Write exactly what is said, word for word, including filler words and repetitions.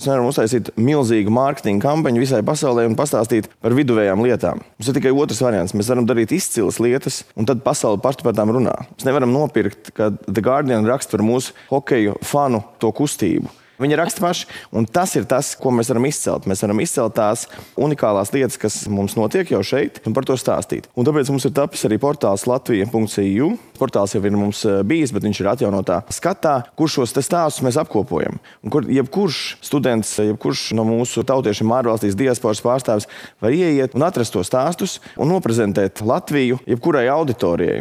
Mēs nevaram uztaisīt milzīgu mārketinga kampaņu visai pasaulē un pastāstīt par viduvējām lietām. Mums ir tikai otrs variants. Mēs varam darīt izcilas lietas, un tad pasaule paši par tām runā. Mēs nevaram nopirkt, ka The Guardian raksta par mūsu hokeju fanu to kustību. Viņi raksta paši, un tas ir tas, ko mēs varam izcelt. Mēs varam izcelt tās unikālās lietas, kas mums notiek jau šeit, un par to stāstīt. Un tāpēc mums ir tapis arī portāls latvija punkt c u. Portāls jau ir mums bijis, bet viņš ir atjaunotā skatā, kur šos te stāstus mēs apkopojam. Un kur jebkurš students, jebkurš no mūsu tautiešiem ārvalstīs diasporas pārstāvis var ieiet un atrast tos stāstus un noprezentēt Latviju jebkurai auditorijai.